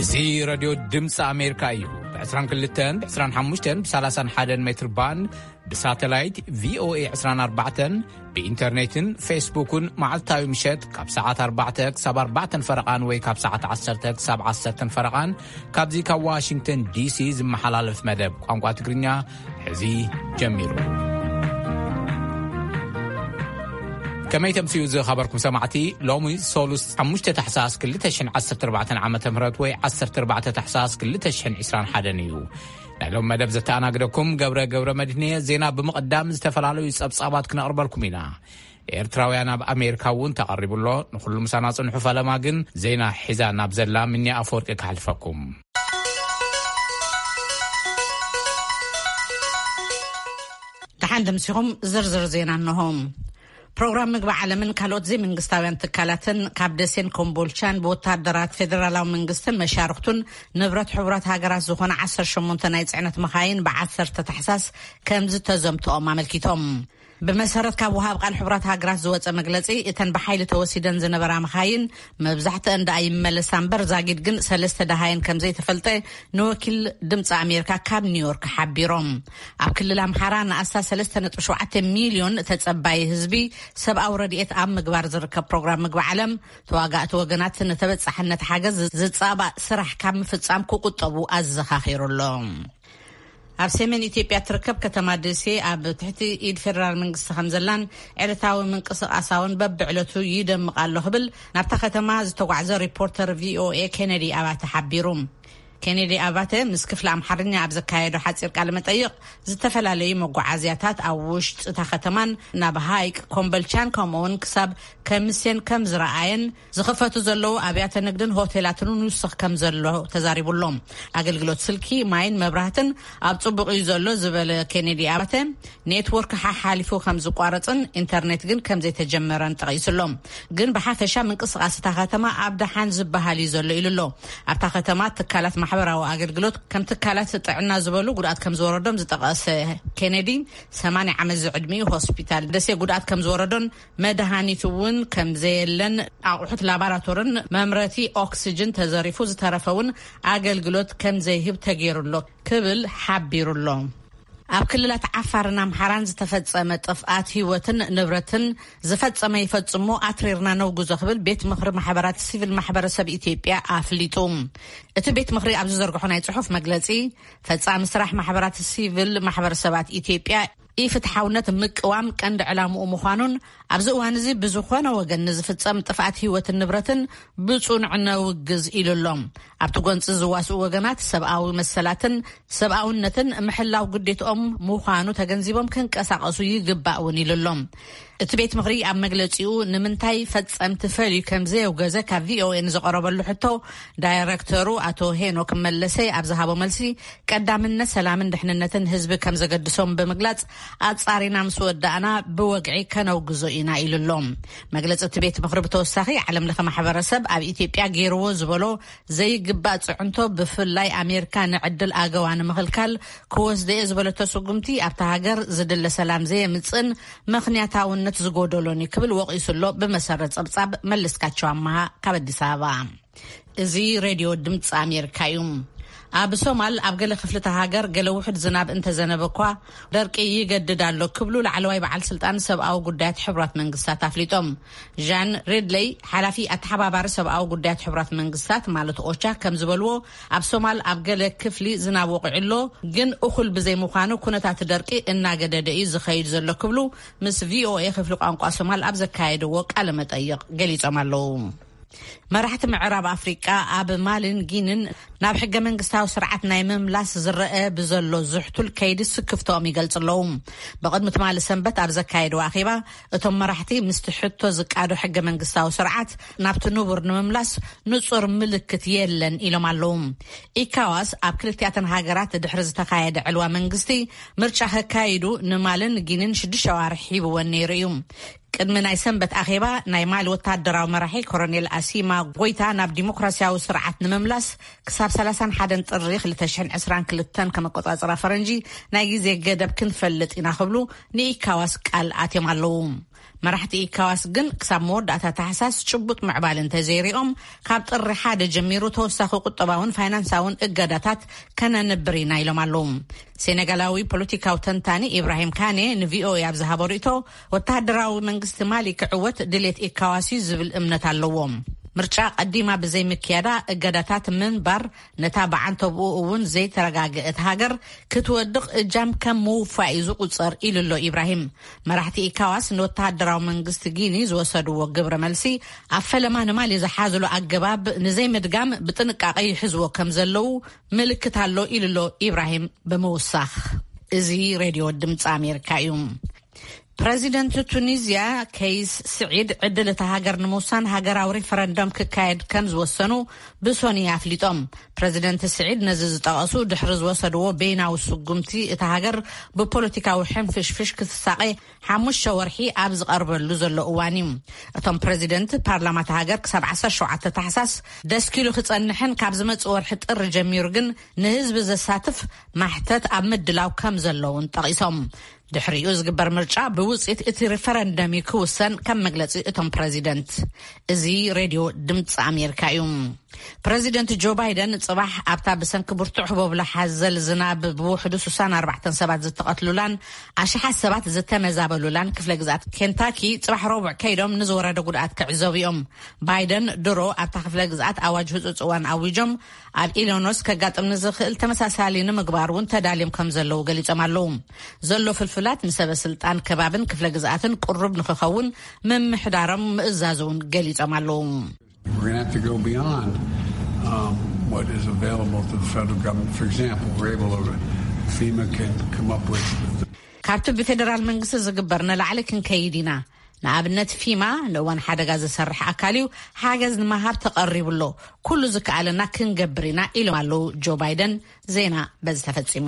እዚ ሬድዮ ድምፂ ኣሜሪካ እዩ። ብ22፣ ብ25፣ ብ31 ሜትር ባንድ፣ ብሳተላይት ቪኦኤ 24፣ ብኢንተርኔትን ፌስቡክን መዓልታዊ ምሸት ካብ ሰዓት 4 ክሳብ 4 ፈረቓን ወይ ካብ ሰዓት 10 ክሳብ 10 ፈረቓን ካብዚ ካብ ዋሽንግተን ዲሲ ዝመሓላለፍ መደብ ቋንቋ ትግርኛ ሕዚ ጀሚሩ። ከመይ ተምስዩ ዝኸበርኩም ሰማዕቲ፣ ሎሚ ሶሉስ 5 ታሕሳስ 2014 ዓ.ም ወይ 14 ታሕሳስ 2021 እዩ። ናይ ሎም መደብ ዘተኣናግደኩም ገብረ ገብረ መድህንየ። ዜና ብምቕዳም ዝተፈላለዩ ጸብጻባት ክነቕርበልኩም ኢና። ኤርትራውያን ኣብ ኣሜሪካ እውን ተቐሪቡ ኣሎ። ንኹሉ ምሳና ጽንሑ። ፈለማ ግን ዜና ሒዛ ናብ ዘላ ምኒ ኣፈወርቂ ክሓልፈኩም። ደሓን ደምሲኹም ዝርዝር ዜና እንሆ። ፕሮግራም ምግቢ ዓለምን ካልኦት ዘይመንግስታውያን ትካላትን ካብ ደሴን ኮምቦልቻን ብወታደራት ፌደራላዊ መንግስትን መሻርክቱን ንብረት ሕቡራት ሃገራት ዝኾነ 18 ናይ ጽዕነት መኻይን ብ10 ታሕሳስ ከም ዝተዘምትኦም ኣመልኪቶም። ብመሰረት ካብ ወሃብ ቃል ሕቡራት ሃገራት ዝወጸ መግለጺ፣ እተን ብሓይሊ ተወሲደን ዝነበራ መኻይን መብዛሕትአን ደኣ ይመለሳ እምበር፣ ዛጊድ ግን ሰለስተ ደሃየን ከም ዘይተፈልጠ ንወኪል ድምፂ ኣሜሪካ ካብ ኒውዮርክ ሓቢሮም። ኣብ ክልል ኣምሓራ ንኣስታት 3.7 ሚልዮን ተጸባይ ህዝቢ ሰብኣዊ ረድኤት ኣብ ምግባር ዝርከብ ፕሮግራም ምግቢ ዓለም፣ ተዋጋእቲ ወገናት ንተበጻሕነት ሓገዝ ዝጻባእ ስራሕ ካብ ምፍጻም ክቁጠቡ ኣዘኻኺሩ ኣሎ። ኣብ ሰሜን ኢትዮጵያ ትርከብ ከተማ ደሴ ኣብ ትሕቲ ኢድ ፌደራል መንግስቲ ከም ዘላን ዕለታዊ ምንቅስቃሳ እውን በብዕለቱ ይደምቕ ኣሎ ክብል ናብታ ከተማ ዝተጓዕዘ ሪፖርተር ቪኦኤ ኬነዲ ኣባተ ሓቢሩ። ኬነዲ ኣባተ ምስ ክፍሊ ኣምሓርኛ ኣብ ዘካየዶ ሓጺር ቃለ መጠይቕ፣ ዝተፈላለዩ መጓዓዝያታት ኣብ ውሽጢ እታ ከተማን ናብ ሃይቅ ኮምበልቻን ከምኡውን ክሳብ ከምስየን ከም ዝረኣየን ዝኸፈቱ ዘለዉ ኣብያተ ንግድን ሆቴላትን ንውስኽ ከም ዘሎ ተዛሪቡ ኣሎ። ኣገልግሎት ስልኪ፣ ማይን መብራህትን ኣብ ጽቡቕ እዩ ዘሎ ዝበለ ኬኔዲ ኣባተ፣ ኔትወርክ ሓሓሊፉ ከም ዝቋረጽን ኢንተርኔት ግን ከም ዘይተጀመረን ጠቒሱ ኣሎ። ግን ብሓፈሻ ምንቅስቓስ እታ ከተማ ኣብ ደሓን ዝበሃል እዩ ዘሎ ኢሉ ኣሎ። ኣብታ ከተማ ትካላት ማሕበራዊ ኣገልግሎት ከም ትካላት ጥዕና ዝበሉ ጉድኣት ከም ዝወረዶም ዝጠቐሰ ኬኔዲ፣ 80 ዓመት ዝዕድሚኡ ሆስፒታል ደሴ ጉድኣት ከም ዝወረዶን መድሃኒት እውን ከም ዘየለን ኣቑሑት ላባራቶርን መምረቲ ኦክስጅን ተዘሪፉ ዝተረፈ እውን ኣገልግሎት ከም ዘይህብ ተገይሩ ኣሎ ክብል ሓቢሩ ኣሎ። ኣብ ክልላት ዓፋርን ኣምሓራን ዝተፈጸመ ጥፍኣት ህይወትን ንብረትን ዝፈጸመ ይፈጽሞ ኣትሪርና ነውግዞ ክብል ቤት ምኽሪ ማሕበራት ሲቪል ማሕበረሰብ ኢትዮጵያ ኣፍሊጡ። እቲ ቤት ምኽሪ ኣብ ዝዘርግሖ ናይ ጽሑፍ መግለጺ፣ ፈጻሚ ስራሕ ማሕበራት ሲቪል ማሕበረሰባት ኢትዮጵያ ኢፍትሓውነት ምቅዋም ቀንዲ ዕላምኡ ምዃኑን፣ ኣብዚ እዋን እዚ ብዝኾነ ወገን ንዝፍጸም ጥፍኣት ህይወትን ንብረትን ብጽኑዕ ነውግዝ ኢሉ ኣሎ። ኣብቲ ጎንጺ ዝዋስኡ ወገናት ሰብኣዊ መሰላትን ሰብኣውነትን ምሕላው ግዴትኦም ምዃኑ ተገንዚቦም ክንቀሳቐሱ ይግባእ እውን ኢሉ ኣሎ። እቲ ቤት ምኽሪ ኣብ መግለጺኡ፣ ንምንታይ ፈጸምቲ ፈልዩ ከም ዘየውገዘ ካብ ቪኦኤ ንዝቐረበሉ ሕቶ፣ ዳይረክተሩ ኣቶ ሄኖክ መለሰ ኣብ ዝሃቦ መልሲ፣ ቀዳምነት ሰላምን ድሕንነትን ህዝቢ ከም ዘገድሶም ብምግላጽ፣ ኣጻሪና ምስ ወዳእና ብወግዒ ከነውግዞ ኢና ኢሉ ኣሎ። መግለጺ እቲ ቤት ምኽሪ ብተወሳኺ፣ ዓለም ለኸ ማሕበረሰብ ኣብ ኢትዮጵያ ገይርዎ ዝበሎ ዘይግባእ ጽዕንቶ፣ ብፍላይ ኣሜሪካ ንዕድል ኣገዋ ንምኽልካል ክወስደ እየ ዝበለቶ ስጉምቲ፣ ኣብታ ሃገር ዝድለ ሰላም ዘየምጽእን ምኽንያታውነት ዝጎደሎን እዩ ክብል ወቒሱ ኣሎ። ብመሰረት ጸብጻብ መለስካቸው ኣመሃ ካብ ኣዲስ ኣበባ። እዚ ሬድዮ ድምፂ ኣሜሪካ እዩ። ኣብ ሶማል ኣብ ገለ ክፍልታት ሃገር ገለ ውሑድ ዝናብ እንተዘነበ እኳ፣ ደርቂ ይገድድ ኣሎ ክብሉ ላዕለዋይ በዓል ስልጣን ሰብኣዊ ጉዳያት ሕቡራት መንግስታት ኣፍሊጦም። ዣን ሬድለይ፣ ሓላፊ ኣተሓባባሪ ሰብኣዊ ጉዳያት ሕቡራት መንግስታት ማለት ኦቻ ከም ዝበልዎ፣ ኣብ ሶማል ኣብ ገለ ክፍሊ ዝናብ ወቂዑ ኣሎ፣ ግን እኹል ብዘይምዃኑ ኩነታት ደርቂ እናገደደ እዩ ዝኸይድ ዘሎ ክብሉ ምስ ቪኦኤ ክፍሊ ቋንቋ ሶማል ኣብ ዘካየድዎ ቃለ መጠይቕ ገሊጾም ኣለዉ። መራሕቲ ምዕራብ ኣፍሪቃ ኣብ ማልን ጊንን ናብ ሕገ መንግስታዊ ስርዓት ናይ ምምላስ ዝረአ ብዘሎ ዝሕቱል ከይዲ ስክፍቶኦም ይገልጹ ኣለዉ። ብቕድሚ ትማሊ ሰንበት ኣብ ዘካየድዎ ኣኼባ፣ እቶም መራሕቲ ምስቲ ሕቶ ዝቃዶ ሕገ መንግስታዊ ስርዓት ናብቲ ንቡር ንምምላስ ንጹር ምልክት የለን ኢሎም ኣለዉ። ኢካዋስ ኣብ ክልቲኣተን ሃገራት ድሕሪ ዝተኻየደ ዕልዋ መንግስቲ፣ ምርጫ ከካይዱ ንማልን ጊንን ሽዱሽተ ኣዋርሕ ሂብወን ነይሩ እዩ። ቅድሚ ናይ ሰንበት ኣኼባ፣ ናይ ማሊ ወታደራዊ መራሒ ኮሎኔል ኣሲማ ጎይታ ናብ ዲሞክራሲያዊ ስርዓት ንምምላስ ክሳብ ሰላሳን ሓደን ጥሪ ክልተ ሽሕን ዕስራን ክልተን ከመቆጻጽራ ፈረንጂ ናይ ግዜ ገደብ ክንፈልጥ ኢና ክብሉ ንኢካዋስ ቃል ኣትዮም ኣለዉ። መራሕቲ ኢካዋስ ግን ክሳብ መወዳእታ ታሕሳስ ጭቡጥ ምዕባል እንተዘይሪኦም፣ ካብ ጥሪ ሓደ ጀሚሩ ተወሳኺ ቁጠባውን ፋይናንሳውን እገዳታት ከነንብር ኢና ኢሎም ኣለዉ። ሴኔጋላዊ ፖለቲካዊ ተንታኒ ኢብራሂም ካኔ ንቪኦኤ ኣብ ዝሃቦ ርእቶ፣ ወተሃደራዊ መንግስቲ ማሊ ክዕወት ድሌት ኢካዋስ እዩ ዝብል እምነት ኣለዎም። ምርጫ ቀዲማ ብዘይምክያዳ እገዳታት ምንባር ነታ ብዓንተብኡ እውን ዘይተረጋገአት ሃገር ክትወድቕ እጃም ከም ምውፋእ እዩ ዝቑጸር ኢሉ ኣሎ ኢብራሂም። መራሕቲ ኢካዋስ ንወተሃደራዊ መንግስቲ ጊኒ ዝወሰድዎ ግብረ መልሲ ኣብ ፈለማ ንማሊ ዝሓዝሉ ኣገባብ ንዘይምድጋም ብጥንቃቐ ይሕዝዎ ከም ዘለዉ ምልክት ኣሎ ኢሉ ኣሎ ኢብራሂም ብምውሳኽ። እዚ ሬድዮ ድምፂ ኣሜሪካ እዩ። ፕረዚደንት ቱኒዝያ ከይስ ስዒድ ዕድል እታ ሃገር ንምውሳን ሃገራዊ ሪፈረንደም ክካየድ ከም ዝወሰኑ ብሶኒ ኣፍሊጦም። ፕረዚደንት ስዒድ ነዚ ዝጠቐሱ ድሕሪ ዝወሰድዎ በይናዊ ስጉምቲ እታ ሃገር ብፖለቲካዊ ሕንፍሽፍሽ ክትሳቐ ሓሙሽተ ወርሒ ኣብ ዝቐርበሉ ዘሎ እዋን እዩ። እቶም ፕረዚደንት ፓርላማ እታ ሃገር ክሳብ ዓሰርተ ሸውዓተ ታሕሳስ ደስኪሉ ክጸንሕን ካብ ዝመጽእ ወርሒ ጥሪ ጀሚሩ ግን ንህዝቢ ዘሳትፍ ማሕተት ኣብ ምድላው ከም ዘለውን ጠቒሶም። ድሕሪኡ ዝግበር ምርጫ ብውፅኢት እቲ ሪፈረንደም እዩ ክውሰን ከም መግለፂ እቶም ፕረዚደንት። እዚ ሬድዮ ድምፂ ኣሜሪካ እዩ። ፕረዚደንት ጆ ባይደን ፅባሕ ኣብታ ብሰንኪ ብርቱዕ ህቦብላ ሓዘል ዝናብ ብውሕዱ ስሳን ኣርባዕተን ሰባት ዝተቐትሉላን ኣሽሓት ሰባት ዝተመዛበሉላን ክፍለ ግዝኣት ኬንታኪ ፅባሕ ረቡዕ ከይዶም ንዝወረደ ጉድኣት ክዕዘቡ እዮም። ባይደን ድሮ ኣብታ ክፍለ ግዝኣት ኣዋጅ ህፁፅ እዋን ኣዊጆም ኣብ ኢሎኖስ ከጋጥም ንዝኽእል ተመሳሳሊ ንምግባር እውን ተዳልዮም ከም ዘለዉ ገሊጾም ኣለዉ። ዘሎ ፍልፍላት ንሰበ ስልጣን ከባብን ክፍለ ግዝኣትን ቅሩብ ንክኸውን ምምሕዳሮም ምእዛዝ እውን ገሊጾም ኣለዉ። We're going to have to go beyond um, what is available to the federal government. For example, we're able to, FEMA can come up with ካብቲ ብፌደራል መንግስቲ ዝግበር ንላዕሊ ክንከይድ ኢና። ንኣብነት ፊማ ንእዋን ሓደጋ ዝሰርሕ ኣካል እዩ፣ ሓገዝ ንምሃብ ተቐሪቡ ኣሎ። ኩሉ ዝከኣለና ክንገብር ኢና ኢሎም ኣለዉ ጆ ባይደን። ዜና በዚ ተፈጺሙ።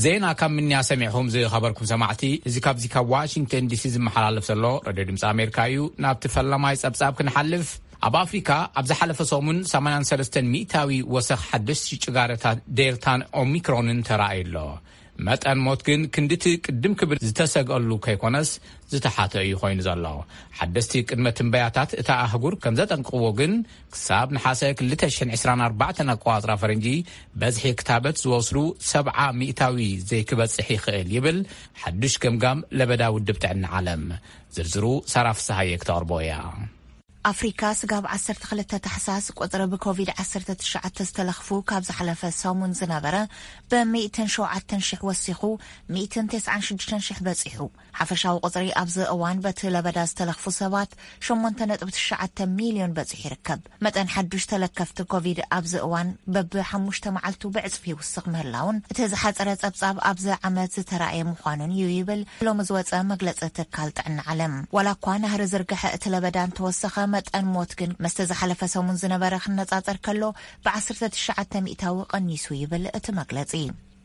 ዜና ካብ ምንያ ሰሚዕኹም ዝኸበርኩም ሰማዕቲ፣ እዚ ካብዚ ካብ ዋሽንግተን ዲሲ ዝመሓላለፍ ዘሎ ሬድዮ ድምፂ ኣሜሪካ እዩ። ናብቲ ፈለማይ ጸብጻብ ክንሓልፍ፣ ኣብ ኣፍሪካ ኣብ ዝሓለፈ ሰሙን ሰማንያን ሰለስተን ሚእታዊ ወሰኽ ሓደሽቲ ጭጋረታት ዴልታን ኦሚክሮንን ተራእዩ ኣሎ። መጠን ሞት ግን ክንድቲ ቅድም ክብል ዝተሰግአሉ ከይኮነስ ዝተሓተ እዩ ኮይኑ ዘሎ። ሓደስቲ ቅድመ ትንበያታት እታ ኣህጉር ከም ዘጠንቅቕዎ ግን፣ ክሳብ ነሓሰ ክልተ ሽሕን ዕስራን ኣርባዕተን ኣቆጻጽራ ፈረንጂ በዝሒ ክታበት ዝወስዱ ሰብዓ ሚእታዊ ዘይክበጽሕ ይኽእል ይብል ሓዱሽ ገምጋም ለበዳ ውድብ ጥዕና ዓለም። ዝርዝሩ ሳራ ፍስሃየ ክተቕርቦ እያ። ኣፍሪካ ስጋብ ዓሰርተ ክልተ ታሕሳስ ቁፅሪ ብኮቪድ ዓሰርተ ትሽዓተ ዝተለኽፉ ካብ ዝሓለፈ ሰሙን ዝነበረ ብ ሚእትን ሸውዓተን ሽሕ ወሲኹ ሚእትን ተስዓን ሽዱሽተን ሽሕ በፂሑ። ሓፈሻዊ ቁፅሪ ኣብዚ እዋን በቲ ለበዳ ዝተለኽፉ ሰባት ሸሞንተ ነጥቢ ትሽዓተ ሚልዮን በፂሑ ይርከብ። መጠን ሓዱሽ ተለከፍቲ ኮቪድ ኣብዚ እዋን በብሓሙሽተ መዓልቱ ብዕፅፊ ይውስኽ ምህላውን እቲ ዝሓፀረ ፀብፃብ ኣብዚ ዓመት ዝተራእየ ምዃኑን እዩ ይብል ሎሚ ዝወፀ መግለፂ ትካል ጥዕና ዓለም። ዋላ እኳ ናህሪ ዝርግሐ እቲ ለበዳ እንተወሰኸ፣ መጠን ሞት ግን ምስቲ ዝሓለፈ ሰሙን ዝነበረ ክነፃፀር ከሎ ብ ዓሰርተ ትሽዓተ ሚእታዊ ቀኒሱ ይብል እቲ መግለፂ።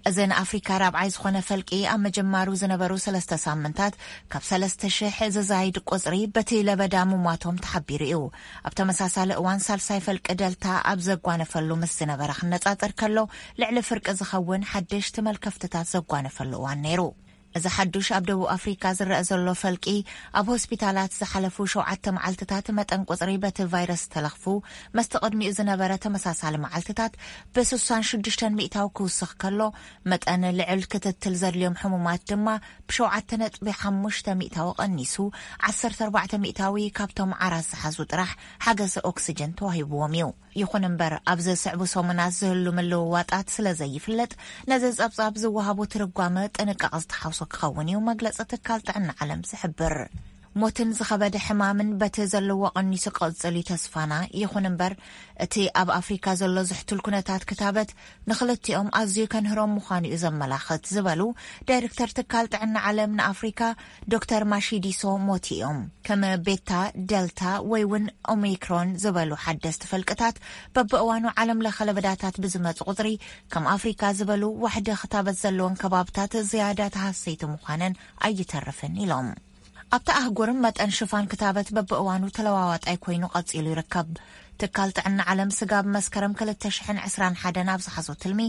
እዚ ንኣፍሪካ ራብዓይ ዝኾነ ፈልቂ ኣብ መጀማሩ ዝነበሩ ሰለስተ ሳምንታት ካብ ሰለስተ ሽሕ ዝዛይድ ቁፅሪ በቲ ለበዳ ምሟቶም ተሓቢሩ እዩ። ኣብ ተመሳሳሊ እዋን ሳልሳይ ፈልቂ ደልታ ኣብ ዘጓነፈሉ ምስ ዝነበረ ክነፃፀር ከሎ ልዕሊ ፍርቂ ዝኸውን ሓደሽቲ መልከፍትታት ዘጓነፈሉ እዋን ነይሩ። እዚ ሓዱሽ ኣብ ደቡብ ኣፍሪካ ዝረአ ዘሎ ፈልቂ ኣብ ሆስፒታላት ዝሓለፉ ሸውዓተ መዓልትታት መጠን ቁፅሪ በቲ ቫይረስ ዝተለኽፉ መስቲ ቅድሚኡ ዝነበረ ተመሳሳሊ መዓልትታት ብ ስሳን ሽዱሽተን ሚእታዊ ክውስኽ ከሎ፣ መጠን ልዕል ክትትል ዘድልዮም ሕሙማት ድማ ብሸውዓተ ነጥቢ ሓሙሽተ ሚእታዊ ቀኒሱ ዓሰርተ ኣርባዕተ ሚእታዊ ካብቶም ዓራት ዝሓዙ ጥራሕ ሓገዝ ኦክስጅን ተዋሂብዎም እዩ። ይኹን እምበር ኣብዚ ዝስዕቡ ሰሙናት ዝህሉ ምልውዋጣት ስለ ዘይፍለጥ ነዚ ጸብጻብ ዝወሃቡ ትርጓመ ጥንቃቐ ዝተሓውሶ ክኸውን እዩ መግለጺ ትካል ጥዕና ዓለም ዝሕብር። ሞትን ዝኸበደ ሕማምን በቲ ዘለዎ ቀኒሱ ክቕጽል እዩ ተስፋና። ይኹን እምበር፣ እቲ ኣብ ኣፍሪካ ዘሎ ዝሕቱል ኩነታት ክታበት ንኽልቲኦም ኣዝዩ ከንህሮም ምዃኑ እዩ ዘመላኽት ዝበሉ ዳይሬክተር ትካል ጥዕና ዓለም ንኣፍሪካ ዶክተር ማሺዲሶ ሞቲ እዮም። ከም ቤታ፣ ደልታ ወይ እውን ኦሚክሮን ዝበሉ ሓደስቲ ፈልቅታት በብእዋኑ ዓለም ለኸ ለበዳታት ብዝመፁ ቁፅሪ ከም ኣፍሪካ ዝበሉ ዋሕዲ ክታበት ዘለዎም ከባብታት ዝያዳ ተሃሰይቲ ምዃነን ኣይተርፍን ኢሎም። ኣብታ ኣህጉር መጠን ሽፋን ክታበት በብእዋኑ ተለዋዋጣይ ኮይኑ ቀጺሉ ይርከብ። ትካል ጥዕና ዓለም ስጋብ መስከረም ክልተ ሽሕን ዕስራን ሓደን ኣብ ዝሓዞ ትልሚ፣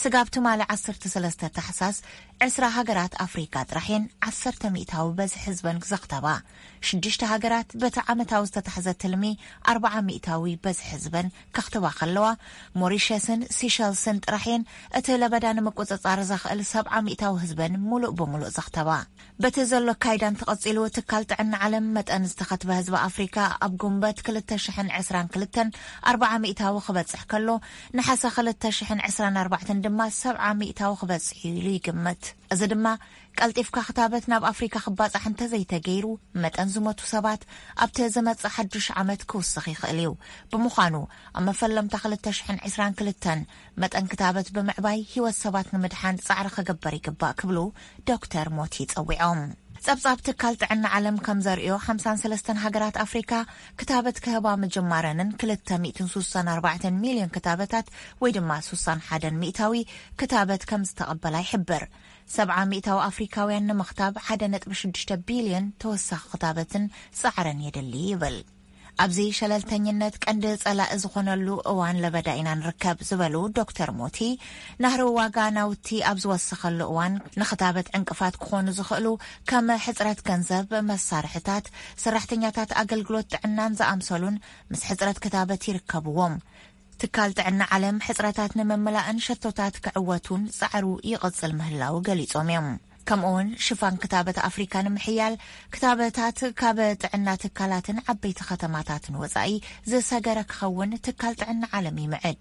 ስጋብ ትማሊ ዓሰርተ ሰለስተ ታሕሳስ ዕስራ ሃገራት ኣፍሪካ ጥራሕ እየን ዓሰርተ ሚእታዊ በዝሒ ህዝበን ዘኽተባ። ሽዱሽተ ሃገራት በቲ ዓመታዊ ዝተታሕዘ ትልሚ ኣርብዓ ሚእታዊ በዝሒ ህዝበን ከኽትባ ከለዋ፣ ሞሪሸስን ሲሸልስን ጥራሕ እየን እቲ ለበዳ ንምቁጽጻር ዘኽእል ሰብዓ ሚእታዊ ህዝበን ሙሉእ ብሙሉእ ዘኽተባ። በቲ ዘሎ ኣካይዳ እንተቐጺሉ፣ ትካል ጥዕና ዓለም መጠን ዝተኸትበ ህዝቢ ኣፍሪካ ኣብ ጉንበት ክልተ ሽሕን ዕስራን ክልተን ኣርብዓ ሚእታዊ ክበጽሕ ከሎ፣ ነሓሰ ክልተ ሽሕን ዕስራን ኣርባዕተን ድማ ሰብዓ ሚእታዊ ክበጽሕ እዩ ኢሉ ይግመት። እዚ ድማ ቀልጢፍካ ክታበት ናብ ኣፍሪካ ክባጻሕ እንተዘይተገይሩ፣ መጠን ዝሞቱ ሰባት ኣብቲ ዝመጽእ ሓዱሽ ዓመት ክውስኽ ይኽእል እዩ። ብምዃኑ፣ ኣብ መፈለምታ ክልተ ሽሕን ዕስራን ክልተን መጠን ክታበት ብምዕባይ ህይወት ሰባት ንምድሓን ጻዕሪ ክግበር ይግባእ ክብሉ ዶክተር ሞቲ ጸዊዖም። ጸብጻብ ትካል ጥዕና ዓለም ከም ዘርእዮ፣ ሓምሳን ሰለስተን ሃገራት ኣፍሪካ ክታበት ክህባ ምጅማረንን ክልተ ሚእትን ስሳን ኣርባዕተን ሚልዮን ክታበታት ወይ ድማ ስሳን ሓደን ሚእታዊ ክታበት ከም ዝተቐበላ ይሕብር። ሰብዓ ሚእታዊ ኣፍሪካውያን ንምኽታብ ሓደ ነጥቢ ሽዱሽተ ቢልዮን ተወሳኺ ክታበትን ጻዕርን የድሊ ይብል። ኣብዚ ሸለልተኝነት ቀንዲ ጸላኢ ዝኾነሉ እዋን ለበዳ ኢና ንርከብ ዝበሉ ዶክተር ሞቲ፣ ናህሪ ዋጋ ናውቲ ኣብ ዝወሰኸሉ እዋን ንኽታበት ዕንቅፋት ክኾኑ ዝኽእሉ ከም ሕጽረት ገንዘብ፣ መሳርሕታት፣ ሰራሕተኛታት ኣገልግሎት ጥዕናን ዝኣምሰሉን ምስ ሕጽረት ክታበት ይርከብዎም። ትካል ጥዕና ዓለም ሕጽረታት ንምምላእን ሸቶታት ክዕወቱን ጻዕሩ ይቕጽል ምህላው ገሊጾም እዮም። ከምኡውን ሽፋን ክታበት ኣፍሪካ ንምሕያል ክታበታት ካብ ጥዕና ትካላትን ዓበይቲ ከተማታትን ወጻኢ ዝሰገረ ክኸውን ትካል ጥዕና ዓለም ይምዕድ።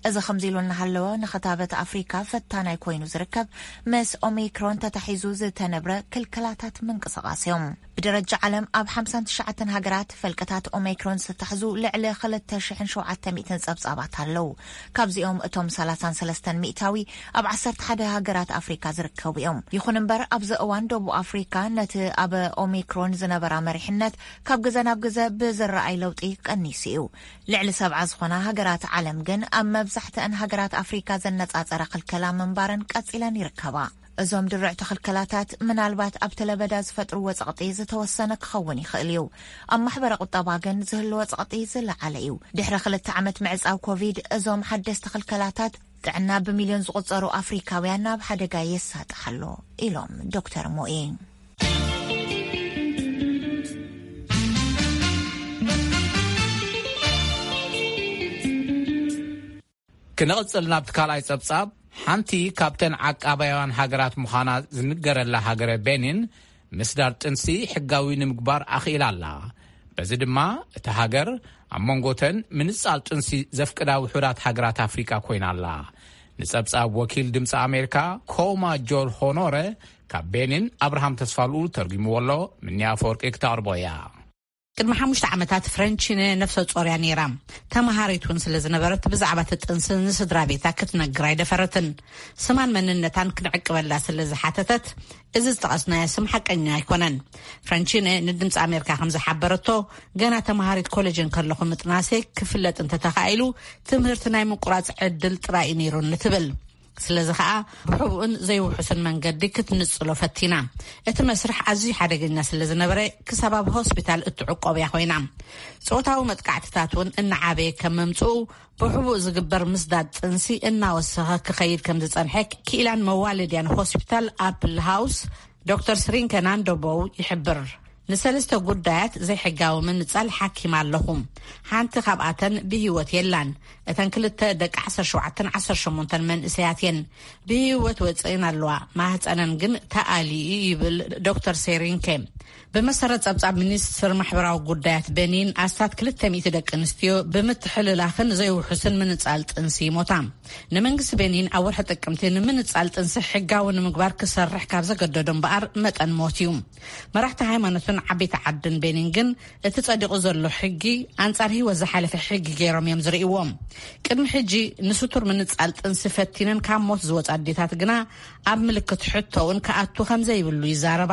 እዚ ከምዚ ኢሉ እናሃለወ፣ ንክታበት ኣፍሪካ ፈታናይ ኮይኑ ዝርከብ ምስ ኦሚክሮን ተታሒዙ ዝተነብረ ክልከላታት ምንቅስቓስ እዮም። ብደረጃ ዓለም ኣብ ሓምሳን ትሽዓተን ሃገራት ፈልቅታት ኦሚክሮን ዝተታሕዙ ልዕሊ ክልተ ሽሕን ሸውዓተ ሚእትን ጸብጻባት ኣለዉ። ካብዚኦም እቶም ሰላሳን ሰለስተን ሚእታዊ ኣብ ዓሰርተ ሓደ ሃገራት ኣፍሪካ ዝርከቡ እዮም። ይኹን እምበር፣ ኣብዚ እዋን ደቡብ ኣፍሪካ ነቲ ኣብ ኦሚክሮን ዝነበራ መሪሕነት ካብ ግዘ ናብ ግዘ ብዝረኣይ ለውጢ ቀኒሱ እዩ። ልዕሊ ሰብዓ ዝኾና ሃገራት ዓለም ግን ኣብ መብዛሕትአን ሃገራት ኣፍሪካ ዘነጻጸረ ክልከላ ምንባረን ቀጺለን ይርከባ። እዞም ድርዕቲ ክልከላታት ምናልባት ኣብቲ ለበዳ ዝፈጥርዎ ጸቕጢ ዝተወሰነ ክኸውን ይኽእል እዩ። ኣብ ማሕበረ ቁጠባ ግን ዝህልዎ ጸቕጢ ዝለዓለ እዩ። ድሕሪ ክልተ ዓመት ምዕጻው ኮቪድ፣ እዞም ሓደስቲ ክልከላታት ጥዕና ብሚልዮን ዝቑጸሩ ኣፍሪካውያን ናብ ሓደጋ የሳጥሕ ኣሎ ኢሎም ዶክተር ሞኢ። ክንቕጽል ናብቲ ካልኣይ ጸብጻብ። ሓንቲ ካብተን ዓቃባያውያን ሃገራት ምዃና ዝንገረላ ሃገረ ቤኒን፣ ምስዳር ጥንሲ ሕጋዊ ንምግባር ኣኽኢላ ኣላ። በዚ ድማ እታ ሃገር ኣብ መንጎተን ምንጻል ጥንሲ ዘፍቅዳ ውሑዳት ሃገራት ኣፍሪቃ ኮይና ኣላ። ንጸብጻብ ወኪል ድምፂ ኣሜሪካ ኮማ ጆል ሆኖረ ካብ ቤኒን ኣብርሃም ተስፋልኡ ተርጉምዎ ኣሎ። ምንያ ኣፈወርቂ ክተቕርቦ እያ። ቅድሚ ሓሙሽተ ዓመታት ፍረንቺነ ነፍሰ ጾር እያ ነይራ። ተመሃሪት እውን ስለ ዝነበረት፣ ብዛዕባ እቲ ጥንሲ ንስድራ ቤታ ክትነግር ኣይደፈረትን። ስማን መንነታን ክንዕቅበላ ስለ ዝሓተተት፣ እዚ ዝጠቐስናዮ ስም ሓቀኛ ኣይኮነን። ፍረንቺነ ንድምፂ ኣሜሪካ ከም ዝሓበረቶ፣ ገና ተመሃሪት ኮሌጅ እንከለኹ ምጥናሰይ ክፍለጥ እንተተኻኢሉ፣ ትምህርቲ ናይ ምቁራፅ ዕድል ጥራይ እዩ ነይሩኒ ትብል። ስለዚ ኸኣ ብሕቡእን ዘይውሑስን መንገዲ ክትንጽሎ ፈቲና። እቲ መስርሕ ኣዝዩ ሓደገኛ ስለ ዝነበረ፣ ክሳብ ኣብ ሆስፒታል እትዕቆብ እያ ኮይና። ጾታዊ መጥቃዕትታት እውን እናዓበየ ከም ምምጽኡ፣ ብሕቡእ ዝግበር ምስዳድ ጥንሲ እናወሰኸ ክኸይድ ከም ዝጸንሐ፣ ክኢላን መዋለድያን ሆስፒታል ኣፕል ሃውስ ዶክተር ስሪንከ ናንዶቦው ይሕብር። ንሰለስተ ጉዳያት ዘይሕጋዊ ምንጻል ሓኪም ኣለኹ። ሓንቲ ካብኣተን ብህይወት የላን። እተን ክልተ ደቂ ዓሰርተ ሸውዓተን ዓሰርተ ሸሞንተን መንእሰያት እየን። ብህይወት ወጽእን ኣለዋ። ማህጸነን ግን ተኣልዩ ይብል ዶክተር ሴሪንኬ። ብመሰረት ጸብጻብ ሚኒስትር ማሕበራዊ ጉዳያት ቤኒን፣ ኣስታት ክልተ ሚእቲ ደቂ ኣንስትዮ ብምትሕልላኽን ዘይውሑስን ምንጻል ጥንሲ ይሞታ። ንመንግስቲ ቤኒን ኣብ ወርሒ ጥቅምቲ ንምንጻል ጥንሲ ሕጋዊ ንምግባር ክሰርሕ ካብ ዘገደዶ እምበኣር መጠን ሞት እዩ። መራሕቲ ሃይማኖትን ዓበይቲ ዓድን ቤኒን ግን እቲ ጸዲቑ ዘሎ ሕጊ ኣንጻር ህይወት ዝሓለፈ ሕጊ ገይሮም እዮም ዝርእይዎ። ቅድሚ ሕጂ ንስቱር ምንጻል ጥንሲ ፈቲነን ካብ ሞት ዝወጻ ኣዴታት ግና ኣብ ምልክት ሕቶ እውን ክኣቱ ከም ዘይብሉ ይዛረባ።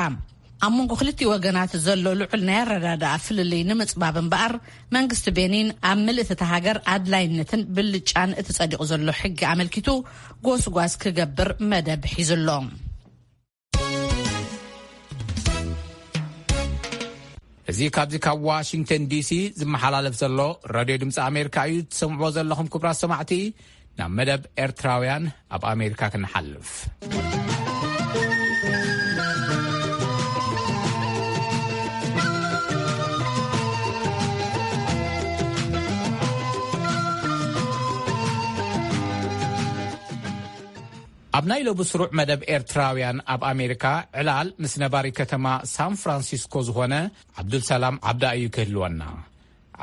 ኣብ መንጎ ክልቲኡ ወገናት ዘሎ ልዑል ናይ ኣረዳድኣ ፍልልይ ንምጽባብ እምበኣር፣ መንግስቲ ቤኒን ኣብ ምልእቲ እታ ሃገር ኣድላይነትን ብልጫን እቲ ጸዲቑ ዘሎ ሕጊ ኣመልኪቱ ጎስጓስ ክገብር መደብ ሒዙ ኣሎ። እዚ ካብዚ ካብ ዋሽንግተን ዲሲ ዝመሓላለፍ ዘሎ ሬድዮ ድምፂ ኣሜሪካ እዩ። ትሰምዕዎ ዘለኹም ክቡራት ሰማዕቲ፣ ናብ መደብ ኤርትራውያን ኣብ ኣሜሪካ ክንሓልፍ። ኣብ ናይ ሎቡ ስሩዕ መደብ ኤርትራውያን ኣብ ኣሜሪካ ዕላል ምስ ነባሪ ከተማ ሳን ፍራንሲስኮ ዝኾነ ዓብዱልሰላም ዓብዳ እዩ ክህልወና።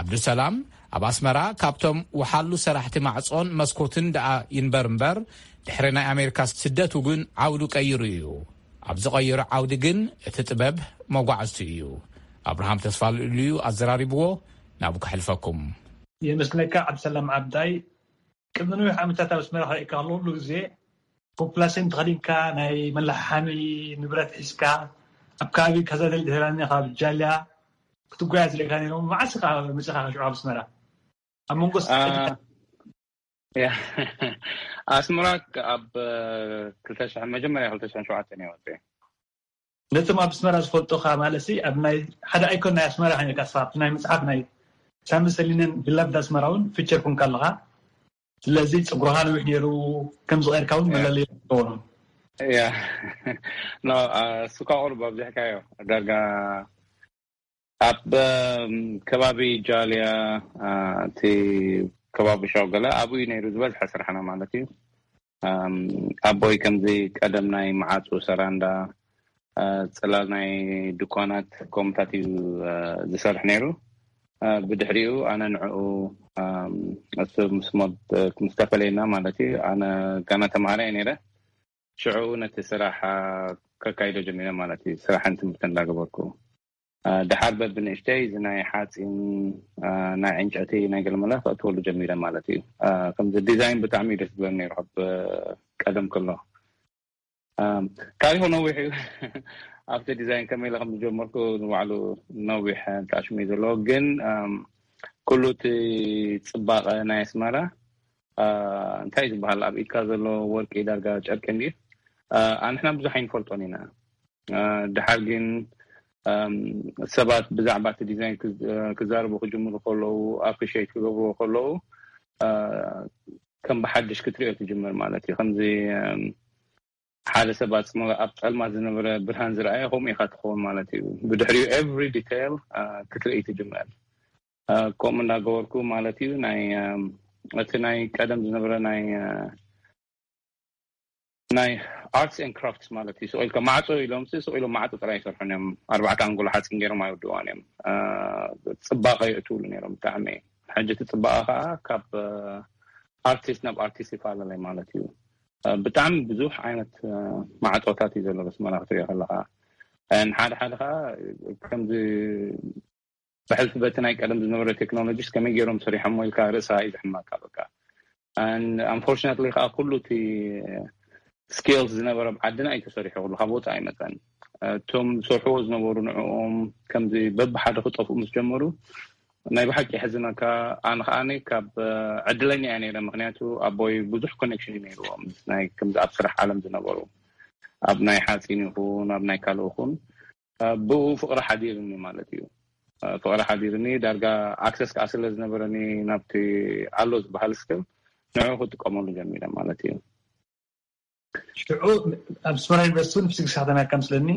ዓብዱልሰላም ኣብ ኣስመራ ካብቶም ወሓሉ ሰራሕቲ ማዕጾን መስኮትን ደኣ ይንበር እምበር፣ ድሕሪ ናይ ኣሜሪካ ስደቱ ግን ዓውዱ ቀይሩ እዩ። ኣብ ዝቐየሮ ዓውዲ ግን እቲ ጥበብ መጓዕዝቱ እዩ። ኣብርሃም ተስፋልኡል እዩ ኣዘራሪብዎ። ናብኡ ከሕልፈኩም። የመስግነካ ዓብዱልሰላም ዓብዳይ። ቅድሚ ነዊሕ ዓመታት ኣብ ኣስመራ ክርእየካ ከሎ፣ ኩሉ ግዜ ፖፕላሴን ተኸዲንካ፣ ናይ መላሓሓሚ ንብረት ሒዝካ፣ ኣብ ከባቢ ካዛደል ድሄራኛ፣ ካብ ጃልያ ክትጓየ ዝርእየካ ነይሮም። መዓስ ኢኻ መጺኻ ሽዑ ኣብ ኣስመራ? ኣብ መንጎ ስ-፣ ያ፣ ኣስመራ ኣብ ክልተ ሽሕ፣ መጀመርያ ክልተ ሽሕን ሸውዓተን እየ ወጺኤ። ነቶም ኣብ ኣስመራ ዝፈልጡኻ፣ ማለት ሲ፣ ኣብ ናይ ሓደ ኣይኮን ናይ ኣስመራ ኮይንካ፣ ንስኻ ኣብቲ ናይ መጽሓፍ ናይ ሳሚ ሰሊነን ቢላቭድ ኣስመራ እውን ፊቸር ኮንካ ኣለኻ። ስለዚ ጸጉርኻ ነዊሕ ነይሩ፣ ከም ዝቐየርካ እውን ያ። መለለዪ ትኸውን። ያ። ኖ፣ አ፣ እሱ እኳ ቁሩብ ኣብዚሕካዮ። ዳርጋ ኣብ፣ እም፣ ከባቢ ጃልያ፣ አ፣ እቲ ከባቢ ሻው ገለ ኣብኡ እዩ ነይሩ ዝበዝሐ ስራሕና ማለት እዩ። ኣም፣ ኣቦይ ከምዚ ቀደም ናይ መዓጹ ሰራንዳ፣ አ፣ ጽላል ናይ ድኳናት ከምኡታት እዩ፣ አ፣ ዝሰርሕ ነይሩ። አ፣ ብድሕሪኡ ኣነ ንዕኡ፣ ኣም፣ እሱ ምስ ሞት፣ ምስ ተፈለየና ማለት እዩ። ኣነ ገና ተማሃራይ ነይረ። ሽዑ ነቲ ስራሕ፣ አ፣ ከካይዶ ጀሚረ ማለት እዩ። ስራሕን ትምህርትን እንዳገበርኩ። አ፣ ደሓር በብንእሽተይ እዚ ናይ ሓጺን፣ አ፣ ናይ ዕንጨቲ፣ ናይ ገለመለ ከእትወሉ ጀሚረ ማለት እዩ። አ፣ ከምዚ ዲዛይን ብጣዕሚ እዩ ደስ ዝብለኒ ነይሩ ካብ ቀደም ከሎ። አ፣ ታሪኹ ነዊሕ እዩ። ኣብቲ ዲዛይን ከመይ ኢለ ከም ዝጀመርኩ ንባዕሉ ነዊሕ ጣዕሽም እዩ ዘለዎ። ግን፣ ኣም፣ ኩሉ እቲ ጽባቐ ናይ ኣስመራ፣ አ፣ እንታይ ዝበሃል፣ ኣብ ኢድካ ዘሎ ወርቂ ዳርጋ ጨርቂ እንድዩ። አ፣ ኣንሕና ብዙሕ ኣይንፈልጦን ኢና። አ፣ ድሓር ግን፣ ኣም፣ ሰባት ብዛዕባ እቲ ዲዛይን ክዝ-፣ ክዛረቡ ክጅምሩ ከለዉ፣ ኣፕሪሺየት ክገብርዎ ከለዉ፣ አ፣ ከም ብሓድሽ ክትሪኦ ትጅምር ማለት እዩ። ከምዚ፣ ኣም፣ ሓደ ሰብ ኣብ ጽመ-፣ ኣብ ጸልማት ዝነበረ ብርሃን ዝረኣየ ከምኡ ኢኻ ትኸውን ማለት እዩ። ብድሕሪኡ ኤቭሪ ዲቴይል፣ አ፣ ክትርኢ ትጅምር። አ፣ ከምኡ እንዳገበርኩ ማለት እዩ ናይ፣ ኣም፣ እቲ ናይ ቀደም ዝነበረ ናይ፣ አ፣ ናይ ኣርትስ ኤንድ ክራፍትስ ማለት እዩ። ስቕ ኢልካ ማዕጾ ኢሎም ሲ፣ ስቕ ኢሎም ማዕጾ ጥራይ ይሰርሑን እዮም። ኣርባዕተ ኣንጎሎ ሓጺን ገይሮም ኣይውድዋን እዮም። አ፣ ጽባቐ የእትውሉ ነይሮም ብጣዕሚ። ሕጂ እቲ ጽባቐ ኸኣ ካብ፣ አ፣ ኣርቲስት ናብ ኣርቲስት ይፈላለይ ማለት እዩ። አ፣ ብጣዕሚ ብዙሕ ዓይነት፣ አ፣ ማዕጾታት እዩ ዘሎ ኣስመራ ክትሪኦ ከለኻ። ኣን ሓደ ሓደ ኸኣ ከምዚ ብሕልፊ በቲ ናይ ቀደም ዝነበረ ቴክኖሎጂስ ከመይ ገይሮም ሰሪሖሞ ኢልካ ርእሳ እዩ ዝሕመካ በቃ። ኣን ኣንፎርቹነትሊ ኸኣ ኩሉ እቲ ስኪልስ ዝነበረ ኣብ ዓድና እዩ ተሰሪሑ፣ ኩሉ ካብ ወጻኢ ኣይመጸን። እቶም ዝሰርሕዎ ዝነበሩ ንዕኦም ከምዚ በብሓደ ክጠፍኡ ምስ ጀመሩ ናይ ብሓቂ የሕዝነካ። ኣነ ኸኣ ካብ ዕድለኛ እየ ነይረ፣ ምኽንያቱ ኣቦይ ብዙሕ ኮኔክሽን እዩ ነይርዎ ምስ ናይ ከምዚ ኣብ ስራሕ ዓለም ዝነበሩ፣ ኣብ ናይ ሓጺን ይኹን ኣብ ናይ ካልእ ይኹን፣ አ፣ ብኡ ፍቕሪ ሓዲርኒ ማለት እዩ። አ፣ ፍቕሪ ሓዲርኒ ዳርጋ ኣክሰስ ከኣ ስለ ዝነበረኒ ናብቲ ኣሎ ዝበሃል ስክል ንዕኡ ክጥቀመሉ ጀሚረ ማለት እዩ። ሽዑ ኣብ ኣስመራ ዩኒቨርሲቲ እውን ፊዚክስ ኢኻ ተማሂርካ መስለኒ?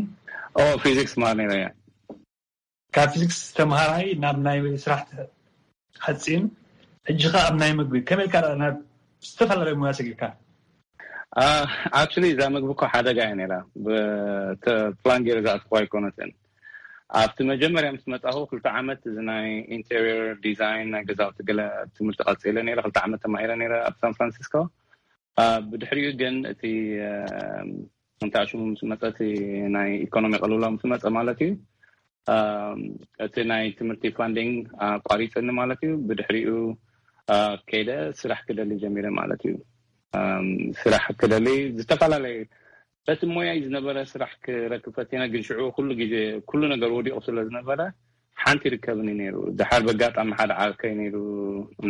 ኦ፣ ፊዚክስ ማር ነይረ እየ። ካብ ፊዚክስ ተምሃራይ ናብ ናይ ስራሕ ሓጺን፣ ሕጂ ኸኣ ኣብ ናይ ምግቢ፣ ከመይ ኢልካ ደኣ ናብ ዝተፈላለዩ ሞያ ሰጊርካ? አ፣ ኣክቹሊ እዛ ምግቢ እኮ ሓደጋ እያ ነይራ። ብ-፣ ተ-፣ ፕላን ገይረ ዝኣተኹዋ ኣይኮነትን። ኣብቲ መጀመርያ ምስ መጻኹ ክልተ ዓመት እዚ ናይ ኢንቴሪየር ዲዛይን ናይ ገዛውቲ ገለ ትምህርቲ ቀጺለ ነይረ። ክልተ ዓመት ተማሂረ ነይረ ኣብ ሳን ፍራንሲስኮ። ብድሕሪኡ ግን እቲ እንታይ ሽሙ ምስ መጸ፣ እቲ ናይ ኢኮኖሚ ቅልውላው ምስ መጸ ማለት እዩ፣ እቲ ናይ ትምህርቲ ፋንዲንግ ኣቋሪጽኒ ማለት እዩ። ብድሕሪኡ ከይደ ስራሕ ክደሊ ጀሚረ ማለት እዩ። ስራሕ ክደሊ ዝተፈላለየ በቲ ሞያይ ዝነበረ ስራሕ ክረክብ ፈቲነ፣ ግን ሽዑ ኩሉ ግዜ ኩሉ ነገር ወዲቑ ስለ ዝነበረ ሓንቲ ይርከብኒ ነይሩ። ድሓር በጋጣሚ ሓደ ዓርከይ ነይሩ፣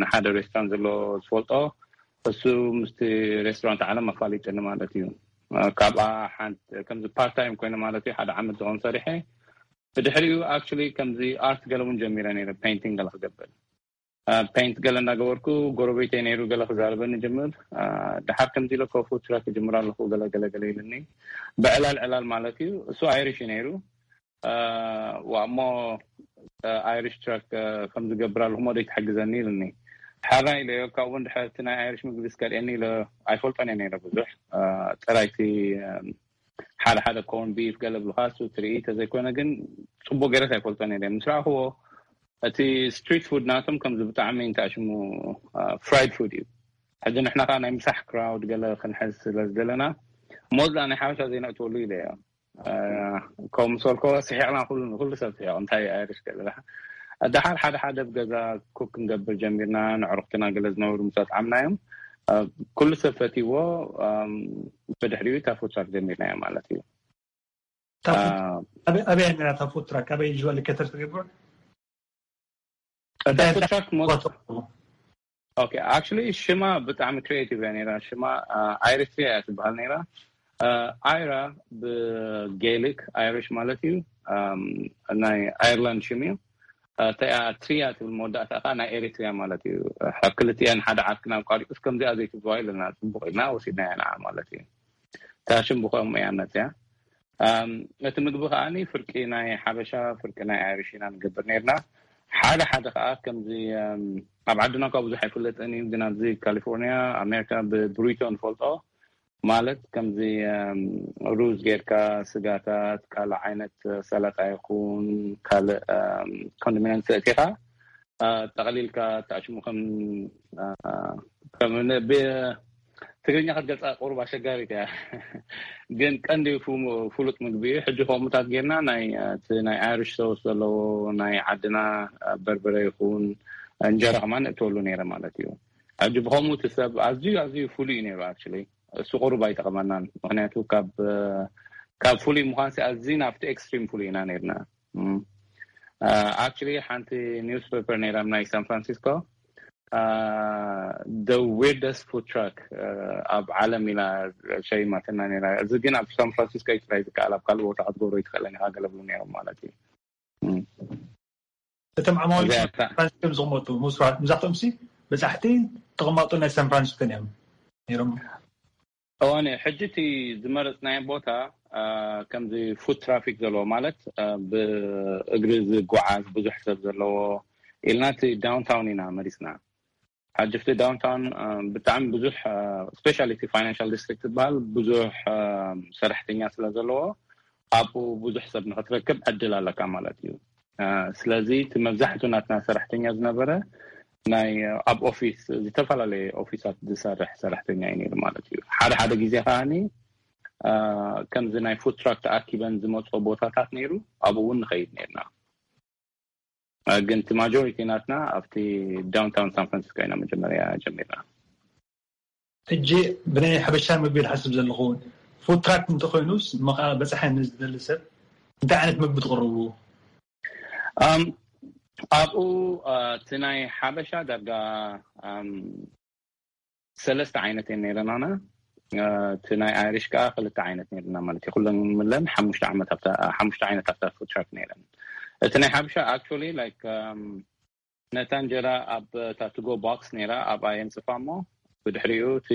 ንሓደ ሬስቶራንት ዘሎ ዝፈልጦ፣ እሱ ምስቲ ሬስቶራንት ዓለም ኣፋሊጥኒ ማለት እዩ። ካብኣ ሓንቲ ከምዚ ፓርት ታይም ኮይነ ማለት እዩ፣ ሓደ ዓመት ዝኸውን ሰሪሐ። ብድሕሪኡ ኣክቹሊ ከምዚ ኣርት ገለ እውን ጀሚረ ነይረ፣ ፔይንቲንግ ገለ ክገብር። ፔይንት ገለ እናገበርኩ ጎረቤተይ ነይሩ፣ ገለ ክዛረበኒ ጀምር። ድሓር ከምዚ ኢለ ኮፉ ትራክ ክጅምር ኣለኹ፣ ገለ ገለ ገለ ኢልኒ። ብዕላል ዕላል ማለት እዩ። እሱ ኣይሪሽ እዩ ነይሩ። እሞ ኣይሪሽ ትራክ ከም ዝገብር ኣለኹ፣ ሞ ደይ ትሕግዘኒ ኢልኒ። ሓራይ ኢለዮ። ካብኡ ድሕርቲ ናይ ኣይሪሽ ምግቢ ዝከልኤኒ ኢለ ኣይፈልጦን እየ ነይረ ብዙሕ። ጥራይቲ ሓደ ሓደ ኮርን ቢፍ ገለ ብልካ እሱ ትርኢ ተዘይኮነ ግን ጽቡቅ ገይረት ኣይፈልጦን እየ። ምስ ረኣኽዎ እቲ ስትሪት ፉድ ናቶም ከምዚ ብጣዕሚ እንታይ ሽሙ ፍራይድ ፉድ እዩ። ሕጂ ንሕና ከዓ ናይ ምሳሕ ክራውድ ገለ ክንሕዝ ስለ ዝደለና ሞዝላ ናይ ሓበሻ ዘይነእትወሉ ኢለ እዮ። ከም ሰልኮ ስሒቕና ኩሉ ሰብ ስሒቕ እንታይ ኣይርሽ ገለ ደሓር ሓደ ሓደ ብገዛ ኩክ ክንገብር ጀሚርና። ንዕሩክትና ገለ ዝነበሩ ምስ ኣጥዓምናዮም ኩሉ ሰብ ፈትዎ። ብድሕሪኡ እታ ፉትራክ ጀሚርናዮ ማለት እዩ። ኣበይ ነራ እታ ፉትራክ ኣበይ ዩ ሎኬትድ ትገብር? እታ ፉትራክ actually ሽማ ብጣዕሚ ክሪኤቲቭ እያ ነራ። ሽማ ኣይሪትሪያ እያ ትበሃል ነራ። ኣይራ ብጌሊክ ኣይሪሽ ማለት እዩ። ናይ ኣየርላንድ ሽም እዩ። እተያ ትሪያ ትብል መወዳእታ ከዓ ናይ ኤሪትሪያ ማለት እዩ። ክልቲአን ሓደ ዓርክና ኣቋሪጡስ ከምዚኣ ዘይትብዋ ኢለና ጽቡቅ ኢልና ወሲድናያ ንዓ ማለት እዩ። እታ ሽም ብኸምኡ እያ መፅያ። እቲ ምግቢ ከዓኒ ፍርቂ ናይ ሓበሻ ፍርቂ ናይ ኣይሪሽ ኢና ንገብር ነርና። ሓደ ሓደ ከዓ ከምዚ ኣብ ዓድና እኳ ብዙሕ ኣይፍለጥን እዩ፣ ግን ኣብዚ ካሊፎርኒያ ኣሜሪካ ብብሪቶ ንፈልጦ። ማለት ከምዚ ሩዝ ጌርካ ስጋታት ካልእ ዓይነት ሰላጣ ይኹን ካልእ ኮንዶሚነንት እቲኻ ጠቕሊልካ ተኣሽሙ ከም ትግርኛ ክትገልፃ ቁሩብ ኣሸጋሪት እያ። ግን ቀንዲ ፍሉጥ ምግቢ እዩ። ሕጂ ከምኡታት ጌርና ናይ እቲ ናይ ኣይሪሽ ሶስ ዘለዎ ናይ ዓድና በርበረ ይኹን እንጀራ ከማን እትወሉ ነይረ ማለት እዩ። ሕጂ ብከምኡ እቲ ሰብ ኣዝዩ ኣዝዩ ፍሉይ እዩ ነይሩ። ኣክቹሊ እሱ ቁሩብ ኣይጠቕመናን፣ ምክንያቱ ካብ ካብ ፍሉይ ምዃን ኣዝዩ ናብቲ ኤክስትሪም ፍሉይ ኢና ነርና። ኣክቹሊ ሓንቲ ኒውስ ፔፐር ነይራ ናይ ሳን ፍራንሲስኮ the weirdest food truck ኣብ ዓለም ኢላ ሸይማትና ነራ። እዚ ግን ኣብ ሳን ፍራንሲስኮ እዩ ጥራይ ዝከኣል፣ ኣብ ካልእ ቦታ ክትገብሮ ይትኽእለን ኢኻ ገለ ብሉ ነይሮም ማለት እዩ። እቶም ዓማዊ ዝቕመጡ ምስራሕቶም ሲ በፃሕቲ ተቐማጡ ናይ ሳን ፍራንሲስኮ እዮም ነይሮም። እዋን ሕጂ እቲ ዝመረፅናዮ ቦታ ከምዚ ፉድ ትራፊክ ዘለዎ ማለት ብእግሪ ዝጓዓዝ ብዙሕ ሰብ ዘለዎ ኢልና እቲ ዳውንታውን ኢና መሪፅና። ሓጅፍቲ ዳውንታውን ብጣዕሚ ብዙሕ ስፔሻሊ እቲ ፋይናንሻል ዲስትሪክት ዝበሃል ብዙሕ ሰራሕተኛ ስለ ዘለዎ ኣብኡ ብዙሕ ሰብ ንክትረክብ ዕድል ኣለካ ማለት እዩ። ስለዚ እቲ መብዛሕቱ ናትና ሰራሕተኛ ዝነበረ ናይ ኣብ ኦፊስ ዝተፈላለየ ኦፊሳት ዝሰርሕ ሰራሕተኛ እዩ ነይሩ ማለት እዩ። ሓደ ሓደ ግዜ ከዓኒ ከምዚ ናይ ፉድ ትራክ ተኣኪበን ዝመፅኦ ቦታታት ነይሩ፣ ኣብኡ እውን ንኸይድ ነርና። ግን እቲ ማጆሪቲ ናትና ኣብቲ ዳውንታውን ሳን ፍራንሲስኮ ኢና መጀመርያ ጀሚርና። ሕጂ ብናይ ሓበሻ ምግቢ ዝሓስብ ዘለኹ ፉድ ትራክ እንተኮይኑስ በፃሒ ንዝደሊ ሰብ እንታይ ዓይነት ምግቢ ትቕርቡ? ኣብኡ እቲ ናይ ሓበሻ ዳርጋ ሰለስተ ዓይነት እየን ነይረናና። እቲ ናይ ኣይሪሽ ከዓ ክልተ ዓይነት ነይርና ማለት እዩ። ኩለን ምለን ሓሙሽተ ዓይነት ኣብታ ፉድ ትራክ ነይረን። እቲ ናይ ሓበሻ ኣክቹዋሊ ላይክ ነታ እንጀራ ኣብ ታትጎ ቦክስ ነይራ ኣብኣ የንፅፋ እሞ ብድሕሪኡ እቲ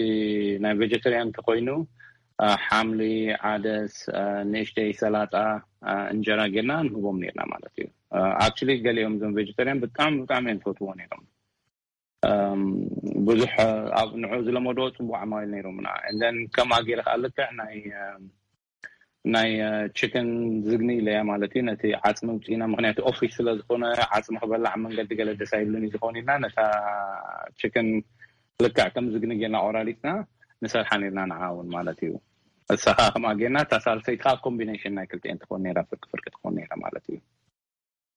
ናይ ቬጀተርያን እንተኮይኑ ሓምሊ፣ ዓደስ፣ ንእሽተይ ሰላጣ፣ እንጀራ ጌርና ንህቦም ነርና ማለት እዩ። ኣክቹዋሊ ገሊኦም እዞም ቬጀተርያን ብጣዕሚ ብጣዕሚ እዮም ዝፈትዎ ነይሮም። ብዙሕ ኣብ ንዑ ዝለመዶ ፅቡቅ ዓማዊል ነይሮምና። እንደን ከምኣ ገይረ ከዓ ልክዕ ናይ ናይ ችክን ዝግኒ ኢለያ ማለት እዩ። ነቲ ዓፅሚ ውፅኢና፣ ምክንያቱ ኦፊስ ስለ ዝኾነ ዓፅሚ ክበላዕ ኣብ መንገዲ ገለ ደስ ኣይብልን እዩ ዝኾን ኢልና፣ ነታ ችክን ልክዕ ከም ዝግኒ ጌርና ቆራሪፅና ንሰርሓ ነርና ንዓ እውን ማለት እዩ። እሳኻ ከምኣ ጌርና፣ እታ ሳልሰይቲ ከዓ ኮምቢኔሽን ናይ ክልቲኤን ትኾን ነራ፣ ፍርቂ ፍርቂ ትኾን ነራ ማለት እዩ።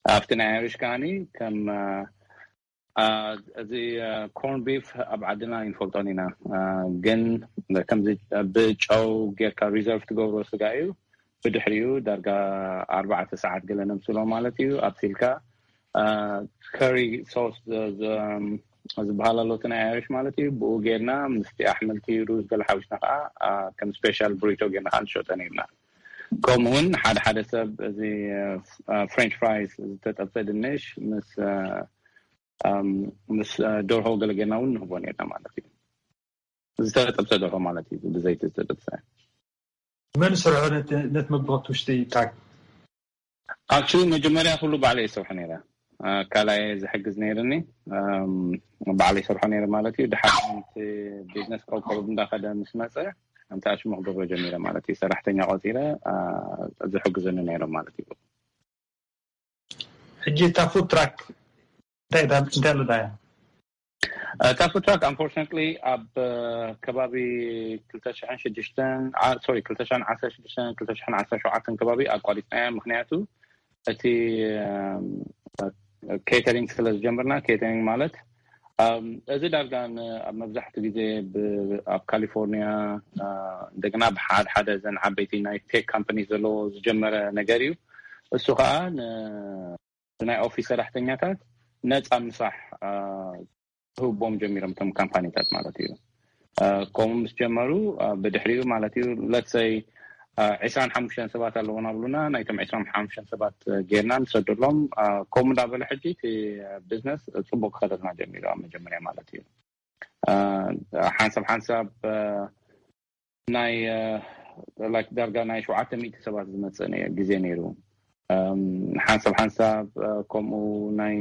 ኣብቲ ናይ ኣሪሽ ከዓኒ ከም አ፣ እዚ ኮርን ቢፍ ኣብ ዓድና ይንፈልጦን ኢና። አ፣ ግን ከምዚ ብጨው ጌርካ ሪዘርቭ ትገብሮ ስጋ እዩ። ብድሕሪኡ ዳርጋ ኣርባዕተ ሰዓት ገለ ነምስሎ ማለት እዩ ኣብሲልካ። ከሪ ሶስ ዝበሃል ኣሎ እቲ ናይ ኣሪሽ ማለት እዩ። ብኡ ጌርና ምስቲ ኣሕምልቲ፣ ሩዝ ገለ ሓዊስና ከዓ ከም ስፔሻል ብሪቶ ጌርና ከዓ ንሸጠ ነርና። ከምኡ እውን ሓደ ሓደ ሰብ እዚ ፍሬንች ፍራይስ፣ ዝተጠብሰ ድንሽ ምስ ምስ ደርሆ ገለ ጌርና እውን ንህቦ ነርና ማለት እዩ። ዝተጠብሰ ደርሆ ማለት እዩ፣ ብዘይቲ ዝተጠብሰ። መን ዝሰርሖ ነቲ መግቢ ውሽጢ? ኣክቹሊ መጀመርያ ኩሉ ባዕለ ይሰርሖ ነረ። ካልኣየ ዝሕግዝ ነይርኒ፣ ባዕለ ይሰርሖ ነረ ማለት እዩ። ድሓር ቢዝነስ ቆርቆሩ እንዳኸደ ምስ መፀ፣ ኣንታ ሽሙ ክገብሮ ጀሚረ ማለት እዩ። ሰራሕተኛ ቆፂረ ዝሕግዙኒ ነይሮም ማለት እዩ። ሕጂ እታ ፉድ ትራክ እንታይ ኣሎ ዳያ? እታ ፉድ ትራክ ኣንፎርችነትሊ ኣብ ከባቢ ክልተ ሽሕን ሽዱሽተን፣ ሶሪ፣ ክልተ ሽሕን ዓሰርተ ሽዱሽተን፣ ክልተ ሽሕን ዓሰርተ ሸውዓተን ከባቢ ኣቋሪፅናያ። ምክንያቱ እቲ ኬተሪንግ ስለ ዝጀምርና፣ ኬተሪንግ ማለት እዚ ዳርጋ ኣብ መብዛሕትኡ ግዜ ኣብ ካሊፎርኒያ፣ እንደገና ብሓደ ሓደ ዘን ዓበይቲ ናይ ቴክ ካምፓኒ ዘለዎ ዝጀመረ ነገር እዩ። እሱ ከዓ ናይ ኦፊስ ሰራሕተኛታት ነፃ ምሳሕ ክህቦም ጀሚሮም፣ እቶም ካምፓኒታት ማለት እዩ። ከምኡ ምስ ጀመሩ፣ ብድሕሪኡ ማለት እዩ፣ ለትሰይ ዕስራን ሓሙሽተን ሰባት ኣለዎም ኣብሉና፣ ናይቶም ዕስራን ሓሙሽተን ሰባት ጌርና ንሰደሎም። ከምኡ እንዳበለ ሕጂ እቲ ቢዝነስ ፅቡቅ ክኸደልና ጀሚሩ ኣብ መጀመርያ ማለት እዩ። ሓንሳብ ሓንሳብ ናይ ላይክ ዳርጋ ናይ ሸውዓተ ሚእቲ ሰባት ዝመፅእ ግዜ ነይሩ። ሓንሳብ ሓንሳብ ከምኡ ናይ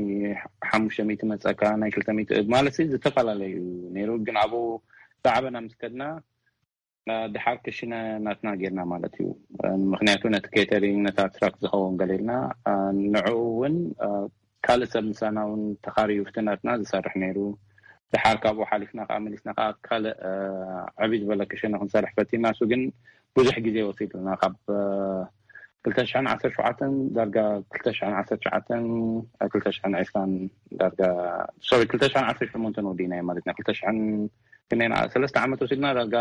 ሓሙሽተ ሚእቲ መፀካ፣ ናይ ክልተ ሚእቲ ማለት ሲ ዝተፈላለዩ ነይሩ። ግን ኣብኡ ዛዕበና ምስ ከድና ድሓር ክሽነ ናትና ጌርና ማለት እዩ። ምክንያቱ ነቲ ኬተሪንግ፣ ነታ ትራክ ዝኸውን ገሌልና ንዕኡ እውን ካልእ ሰብ ምሳና እውን ተኻርዩ ፍትናትና ዝሰርሕ ነይሩ። ድሓር ካብኡ ሓሊፍና ከዓ መሊስና ከዓ ካልእ ዕብይ ዝበለ ክሽነ ክንሰርሕ ፈቲና። እሱ ግን ብዙሕ ግዜ ወሲድና፣ ካብ ክልተ ሽሕን ዓሰርተ ሸውዓተን ዳርጋ ክልተ ሽሕን ዓሰርተ ትሽዓተን፣ ክልተ ሽሕን ዕስራን ዳርጋ፣ ሶሪ፣ ክልተ ሽሕን ዓሰርተ ሸሞንተን ወዲእናዮ ማለት ኢና። ክልተ ሽሕን ክነና ሰለስተ ዓመት ወሲድና፣ ዳርጋ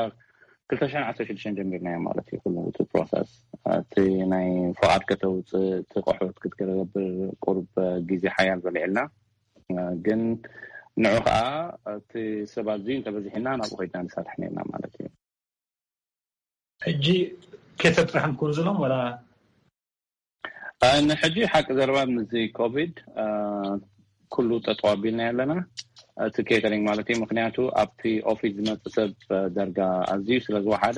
ክልተ ሽሕን ዓሰርተ ሽዱሽተን ጀሚርናዮ ማለት እዩ። ኩሉ እቲ ፕሮሰስ፣ እቲ ናይ ፍቓድ ከተውፅእ፣ እቲ ቆሑት ክትገብር ቁሩብ ግዜ ሓያል በሊዕልና። ግን ንዑ ከዓ እቲ ሰብ ኣዝዩ እንተበዚሕና ናብኡ ከይድና ንሰርሕ ነርና ማለት እዩ። ሕጂ ኬተር ጥራሕ ንኩን ዝሎም ወላ ንሕጂ ሓቂ ዘረባ ምስዚ ኮቪድ ኩሉ ጠጠው ኣቢልና ኣለና፣ እቲ ኬተሪንግ ማለት እዩ። ምክንያቱ ኣብቲ ኦፊስ ዝመፅእ ሰብ ደርጋ ኣዝዩ ስለ ዝወሓደ፣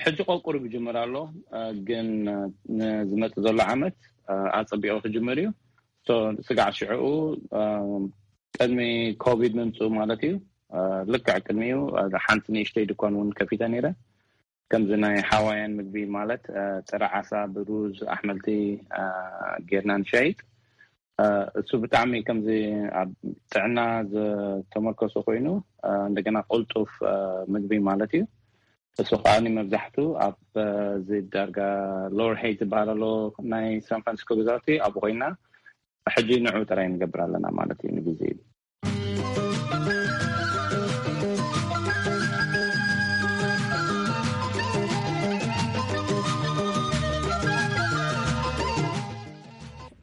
ሕጂ ቆቁሩ ይጅምር ኣሎ። ግን ንዝመፅእ ዘሎ ዓመት ኣፀቢቑ ክጅምር እዩ። ስጋዕ ሽዕኡ ቅድሚ ኮቪድ ምምፅኡ ማለት እዩ። ልክዕ ቅድሚኡ ሓንቲ ንእሽተይ ድኳን እውን ከፊተ ነይረ። ከምዚ ናይ ሃዋያን ምግቢ ማለት ጥረ ዓሳ ብሩዝ ኣሕምልቲ ጌርና ንሸይጥ። እሱ ብጣዕሚ ከምዚ ኣብ ጥዕና ዝተመርኮሰ ኮይኑ እንደገና ቅልጡፍ ምግቢ ማለት እዩ። እሱ ከዓ መብዛሕቱ ኣብ እዚ ዳርጋ ሎወር ሄይት ዝበሃል ኣሎ ናይ ሳን ፍራንሲስኮ ገዛውቲ ኣብኡ ኮይና ሕጂ ንዑ ጥራይ ንገብር ኣለና ማለት እዩ ንግዜ።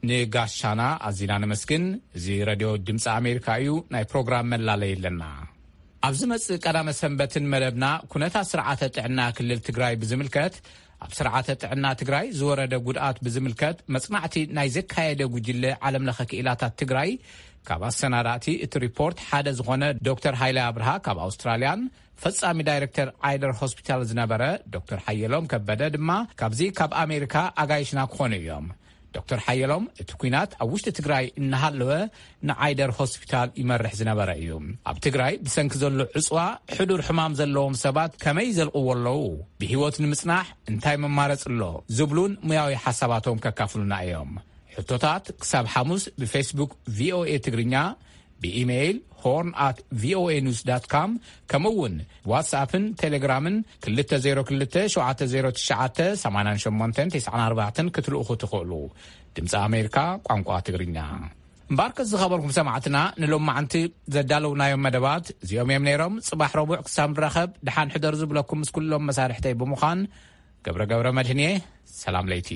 ንጋሻና ኣዚና ነመስግን። እዚ ረድዮ ድምፂ ኣሜሪካ እዩ። ናይ ፕሮግራም መላለይ ኣለና። ኣብ ዝመፅእ ቀዳመ ሰንበትን መደብና ኩነታት ስርዓተ ጥዕና ክልል ትግራይ ብዝምልከት፣ ኣብ ስርዓተ ጥዕና ትግራይ ዝወረደ ጉድኣት ብዝምልከት መፅናዕቲ ናይ ዘካየደ ጉጅለ ዓለምለኸ ክኢላታት ትግራይ ካብ ኣሰናዳእቲ እቲ ሪፖርት ሓደ ዝኾነ ዶክተር ሃይለ ኣብርሃ ካብ ኣውስትራልያን ፈጻሚ ዳይሬክተር ዓይደር ሆስፒታል ዝነበረ ዶክተር ሓየሎም ከበደ ድማ ካብዚ ካብ ኣሜሪካ ኣጋይሽና ክኾኑ እዮም። ዶክተር ሓየሎም፣ እቲ ኲናት ኣብ ውሽጢ ትግራይ እናሃለወ ንዓይደር ሆስፒታል ይመርሕ ዝነበረ እዩ። ኣብ ትግራይ ብሰንኪ ዘሎ ዕፅዋ ሕዱር ሕማም ዘለዎም ሰባት ከመይ ይዘልቕዎ ኣለዉ፣ ብህይወት ንምፅናሕ እንታይ መማረፂ ኣሎ ዝብሉን ሙያዊ ሓሳባቶም ከካፍሉና እዮም። ሕቶታት ክሳብ ሓሙስ ብፌስቡክ ቪኦኤ ትግርኛ፣ ብኢሜይል ሆርን ኣት ቪኦኤ ኒውስ ዳት ካም፣ ከምኡ እውን ዋትስኣፕን ቴሌግራምን ክልተ ዜሮ ክልተ ሸውዓተ ዜሮ ትሽዓተ ሰማንያን ሸሞንተን ተስዓን ኣርባዕተን ክትልእኹ ትኽእሉ። ድምፂ ኣሜሪካ ቋንቋ ትግርኛ። እምበኣርከስ ዝኸበርኩም ሰማዕትና፣ ንሎማዓንቲ ዘዳለውናዮም መደባት እዚኦም እዮም ነይሮም። ጽባሕ ረቡዕ ክሳብ ንራኸብ፣ ደሓን ሕደሩ ዝብለኩም ምስ ኩሎም መሳርሕተይ ብምዃን ገብረ ገብረ መድህን እየ። ሰላም ለይቲ።